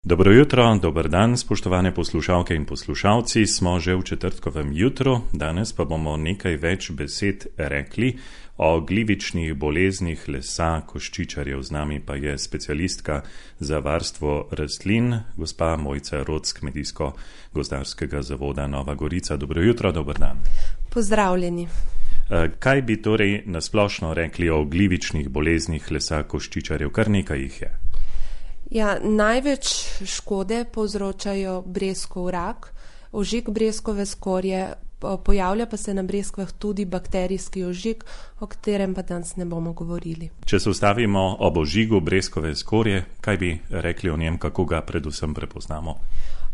Dobro jutro, dober dan, spoštovane poslušalke in poslušalci. Smo že v četrtkovem jutru, danes pa bomo nekaj več besed rekli o glivičnih boleznih lesa koščičarjev. Z nami pa je specialistka za varstvo rastlin, gospa Mojca Rot z Kmetijsko-gozdarskega zavoda Nova Gorica. Dobro jutro, dober dan. Pozdravljeni. Kaj bi torej nasplošno rekli o glivičnih boleznih lesa koščičarjev? Kar nekaj jih je. Ja, največ škode povzročajo breskov rak, ožig breskove skorje, pojavlja pa se na breskvah tudi bakterijski ožig, o katerem pa danes ne bomo govorili. Če se ustavimo ob ožigu breskove skorje, kaj bi rekli o njem, kako ga predvsem prepoznamo?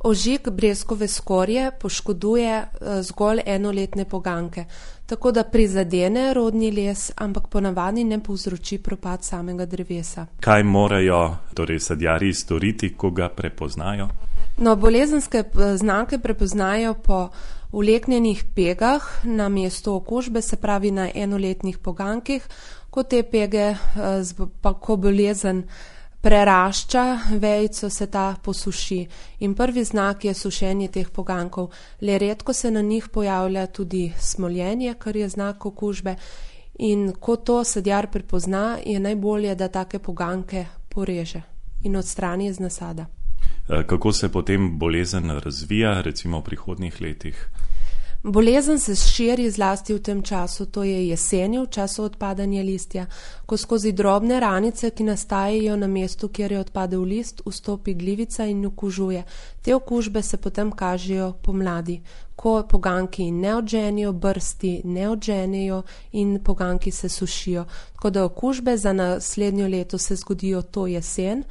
Ožig breskove skorje poškoduje zgolj enoletne poganke, tako da prizadene rodni les, ampak ponavadi ne povzroči propad samega drevesa. Kaj morajo torej sadjarji storiti, ko ga prepoznajo? No, bolezenske znake prepoznajo po vleknjenih pegah na mestu okužbe, se pravi na enoletnih pogankih, ko te pege, pa ko bolezen prerašča vejico, se ta posuši. In prvi znak je sušenje teh pogankov. Le redko se na njih pojavlja tudi smoljenje, kar je znak okužbe. In ko to sadjar prepozna, je najbolje, da take poganke poreže in odstrani iz nasada. Kako se potem bolezen razvija, recimo v prihodnjih letih? Bolezen se širi zlasti v tem času, to je jeseni, v času odpadanja listja, ko skozi drobne ranice, ki nastajajo na mestu, kjer je odpadel list, vstopi glivica in okužuje. Te okužbe se potem kažejo pomladi, ko poganki ne odženijo, brsti ne odženijo in poganki se sušijo. Tako da okužbe za naslednjo leto se zgodijo to jesen,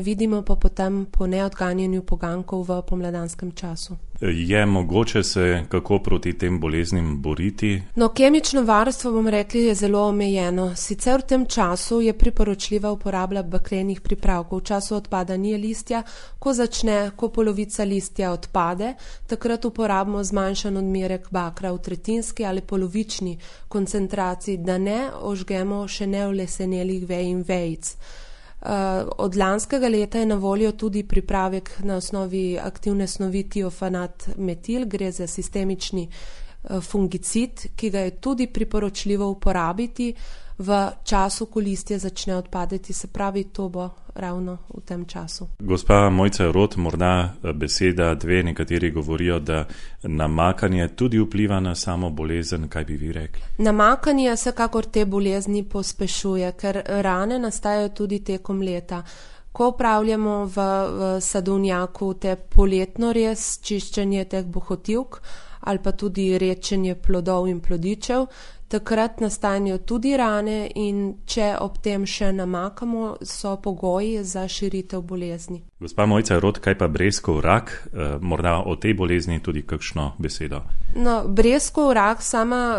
vidimo pa potem po neodganjanju pogankov v pomladanskem času. Je mogoče se kako proti tem boleznim boriti? No, kemično varstvo, bom rekli, je zelo omejeno. Sicer v tem času je priporočljiva uporaba bakrenih pripravkov. V času odpadanja listja, ko polovica listja odpade, takrat uporabimo zmanjšan odmerek bakra v tretjinski ali polovični koncentraciji, da ne ožgemo še neulesenelih vej in vejic. Od lanskega leta je na voljo tudi pripravek na osnovi aktivne snovi tiofanat metil, gre za sistemični fungicid, ki ga je tudi priporočljivo uporabiti v času, ko listje začne odpadati, se pravi, to bo ravno v tem času. Gospa Mojca Rot, morda beseda dve, nekateri govorijo, da namakanje tudi vpliva na samo bolezen, kaj bi vi rekli? Namakanje vsekakor te bolezni pospešuje, ker rane nastajajo tudi tekom leta. Ko upravljamo v sadovnjaku te poletno rez, čiščenje teh bohotivk ali pa tudi rečenje plodov in plodičev, takrat nastanejo tudi rane in če ob tem še namakamo, so pogoji za širitev bolezni. Gospa Mojca Rot, kaj pa breskov rak? Morda o tej bolezni tudi kakšno besedo? No, breskov rak, sama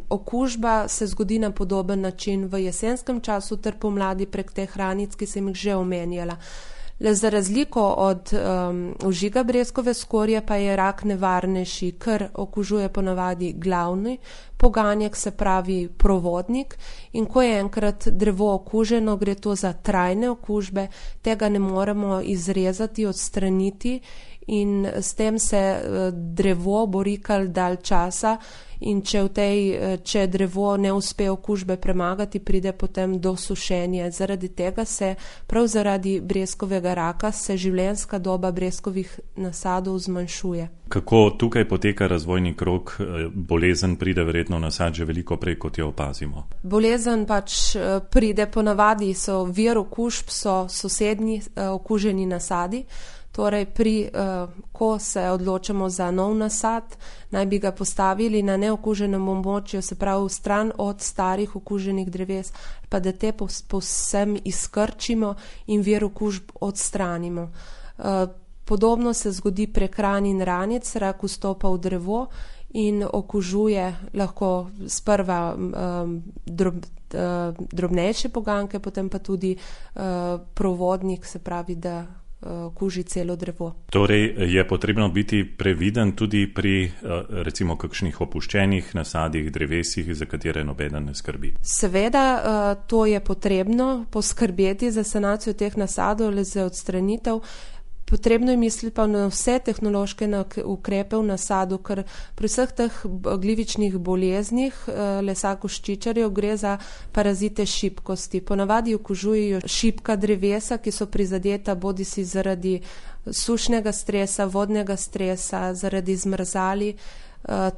okužba se zgodi na podoben način v jesenskem času ter pomladi prek teh ranic, ki sem jih že omenjala. Le za razliko od ožiga breskove skorje pa je rak nevarnejši, ker okužuje ponavadi glavni poganjek, se pravi provodnik, in ko je enkrat drevo okuženo, gre to za trajne okužbe, tega ne moremo izrezati, odstraniti in s tem se drevo bori kar dalj časa. In če drevo ne uspe okužbe premagati, pride potem do sušenja. Zaradi tega prav zaradi breskovega raka se življenjska doba breskovih nasadov zmanjšuje. Kako tukaj poteka razvojni krog? Bolezen pride verjetno v nasad že veliko prej, kot jo opazimo. Bolezen pride ponavadi, vir okužb so sosednji okuženi nasadi. Torej, ko se odločamo za nov nasad, naj bi ga postavili na neokuženem območju, se pravi stran od starih okuženih dreves, pa da te povsem izkrčimo in vir okužb odstranimo. Podobno se zgodi prek ran in ranic, rak vstopa v drevo in okužuje lahko sprva drobnejše poganke, potem pa tudi provodnik, se pravi, da kuži celo drevo. Torej je potrebno biti previden tudi pri recimo kakšnih opuščenih nasadih, drevesih, za katere nobeden ne skrbi. Seveda to je potrebno poskrbeti za sanacijo teh nasadov ali za odstranitev. Potrebno je misliti pa na vse tehnološke ukrepe v nasadu, ker pri vseh teh glivičnih boleznih lesa koščičarjev gre za parazite šibkosti. Ponavadi okužujejo šibka drevesa, ki so prizadeta bodisi zaradi sušnega stresa, vodnega stresa, zaradi zmrzali.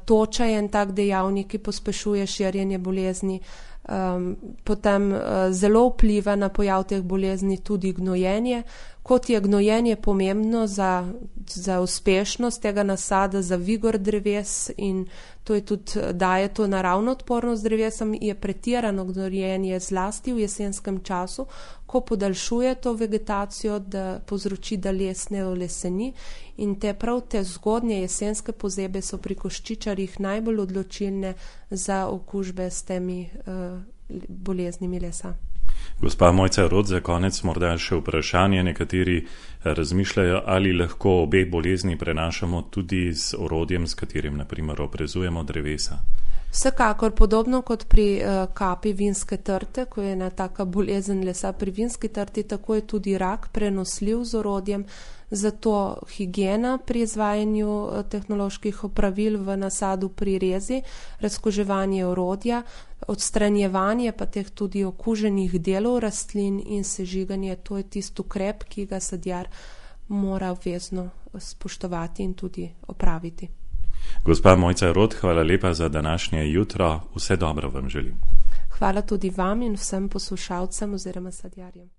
Toča je en tak dejavnik, ki pospešuje širjenje bolezni. Potem zelo vpliva na pojav teh bolezni tudi gnojenje. Kot je gnojenje pomembno za uspešnost tega nasada, za vigor dreves in to je tudi daje to naravno odpornost drevesom, je pretirano gnojenje zlasti v jesenskem času, ko podaljšuje to vegetacijo, da povzroči, da les ne oleseni in prav te zgodnje jesenske pozebe so pri koščičarjih najbolj odločilne za okužbe s temi boleznimi lesa. Gospa Mojca Rot, za konec morda še vprašanje. Nekateri razmišljajo, ali lahko obe bolezni prenašamo tudi z orodjem, s katerim naprimer oprezujemo drevesa. Vsekakor, podobno kot pri kapi vinske trte, ko je ena taka bolezen lesa pri vinski trti, tako je tudi rak prenosljiv z orodjem, zato higiena pri izvajanju tehnoloških opravil v nasadu pri rezi, razkuževanje orodja, odstranjevanje pa teh tudi okuženih delov rastlin in sežiganje, to je tisti ukrep, ki ga sadjar mora obvezno spoštovati in tudi opraviti. Gospa Mojca Rot, hvala lepa za današnje jutro. Vse dobro vam želim. Hvala tudi vam in vsem poslušalcem oziroma sadjarjem.